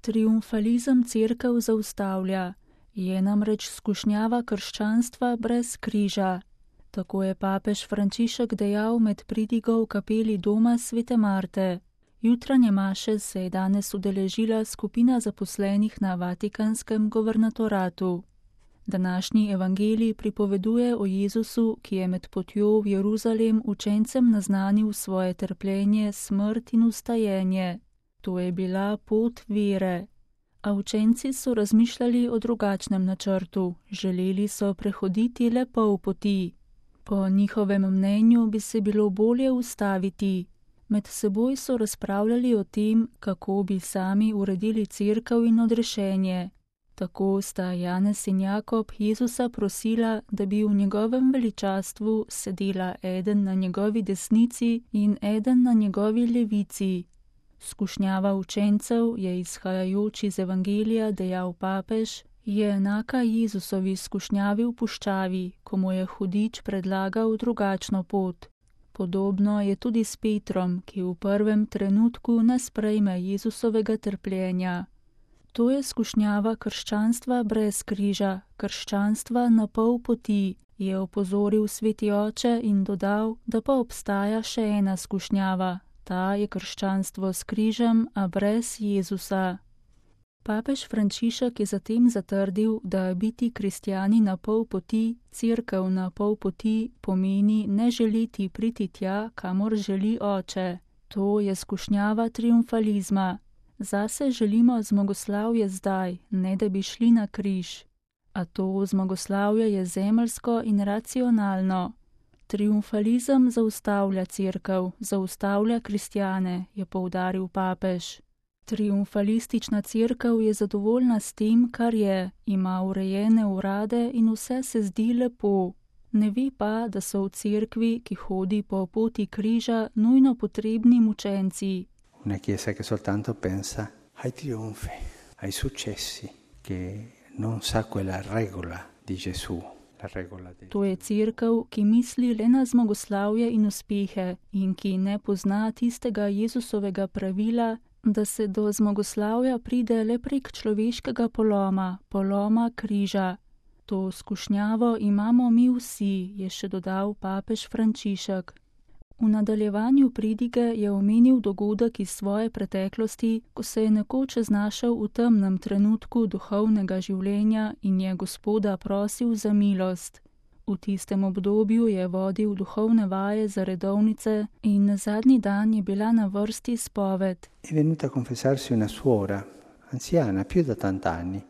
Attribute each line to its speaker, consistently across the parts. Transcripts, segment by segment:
Speaker 1: Triumfalizem cerkev zaustavlja, je namreč skušnjava krščanstva brez križa. Tako je papež Frančišek dejal med pridigo v kapeli doma Svete Marte. Jutranje maše se je danes udeležila skupina zaposlenih na Vatikanskem guvernatoratu. Današnji evangelij pripoveduje o Jezusu, ki je med potjo v Jeruzalem učencem naznanil svoje trpljenje, smrt in vstajenje. To je bila pot vere. A učenci so razmišljali o drugačnem načrtu, želeli so prehoditi le pol poti. Po njihovem mnenju bi se bilo bolje ustaviti. Med seboj so razpravljali o tem, kako bi sami uredili cerkev in odrešenje. Tako sta Janez in Jakob Jezusa prosila, da bi v njegovem veličastvu sedela eden na njegovi desnici in eden na njegovi levici. Skušnjava učencev je izhajajoč iz evangelija, dejal papež, je enaka Jezusovi skušnjavi v puščavi, ko mu je hudič predlagal drugačno pot. Podobno je tudi s Petrom, ki v prvem trenutku ne sprejme Jezusovega trpljenja. To je skušnjava krščanstva brez križa, krščanstva na pol poti, je opozoril sveti oče in dodal, da pa obstaja še ena skušnjava. Ta je krščanstvo s križem, a brez Jezusa. Papež Frančišek je zatem zatrdil, da biti kristjani na pol poti, cerkev na pol poti, pomeni ne želeti priti tja, kamor želi oče. To je skušnjava triumfalizma. Zase želimo zmagoslavje zdaj, ne da bi šli na križ. A to zmagoslavje je zemeljsko in racionalno. Triumfalizem zaustavlja cerkev, zaustavlja kristjane, je poudaril papež. Triumfalistična cerkev je zadovoljna s tem, kar je, ima urejene urade in vse se zdi lepo. Ne ve pa, da so v cerkvi, ki hodi po poti križa, nujno potrebni mučenci.
Speaker 2: Una chiesa che soltanto pensa ai trionfi, ai successi, che non sa quella regola di Gesù.
Speaker 1: To je cerkev, ki misli le na zmagoslavje in uspehe in ki ne pozna tistega Jezusovega pravila, da se do zmagoslavja pride le prek človeškega poloma križa. To skušnjavo imamo mi vsi, je še dodal papež Frančišek. V nadaljevanju pridige je omenil dogodek iz svoje preteklosti, ko se je nekoč znašel v temnem trenutku duhovnega življenja in je Gospoda prosil za milost. V tistem obdobju je vodil duhovne vaje za redovnice in na zadnji dan je bila na vrsti spoved.
Speaker 2: È venuta a confessarsi una suora, anziana, più da 80 anni,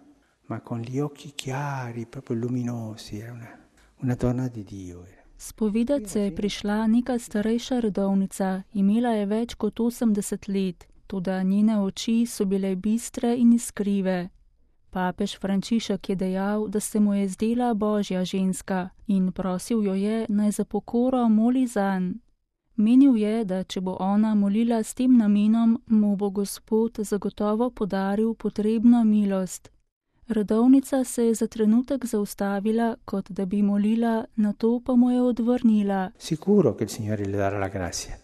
Speaker 2: ma con gli occhi chiari, proprio luminosi, era una donna di Dio.
Speaker 1: Spovedat se je prišla neka starejša redovnica, imela je več kot 80 let, toda njene oči so bile bistre in iskrive. Papež Frančišek je dejal, da se mu je zdela božja ženska in prosil jo je, naj za pokoro moli zanj. Menil je, da če bo ona molila s tem namenom, mu bo Gospod zagotovo podaril potrebno milost. Redovnica se je za trenutek zaustavila, kot da bi molila, nato pa mu je odvrnila.
Speaker 2: Sicuro che il Signore le darà la grazia,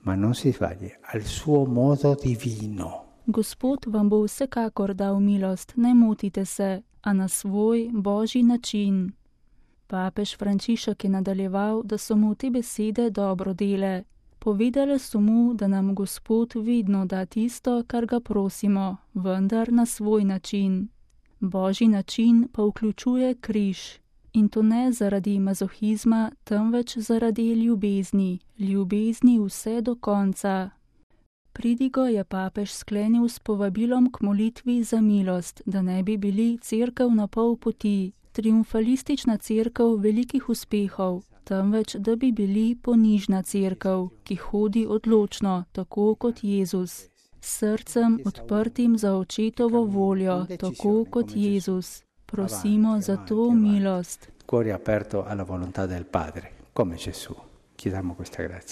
Speaker 2: ma non si sbagli, al suo modo divino.
Speaker 1: Gospod vam bo vsekakor dal milost, ne motite se, a na svoj božji način. Papež Frančišek je nadaljeval, da so mu te besede dobro dele. Povedale so mu, da nam Gospod vedno da tisto, kar ga prosimo, vendar na svoj način. Božji način pa vključuje križ. In to ne zaradi mazohizma, temveč zaradi ljubezni. Ljubezni vse do konca. Pridigo je papež sklenil s povabilom k molitvi za milost, da ne bi bili cerkev na pol poti, triumfalistična cerkev velikih uspehov, temveč da bi bili ponižna cerkev, ki hodi odločno, tako kot Jezus. S srcem odprtim za očetovo voljo, tako kot Jezus. Prosimo za to milost.
Speaker 2: Cuore aperto alla volontà del Padre, come Gesù. Chiediamo questa grazia.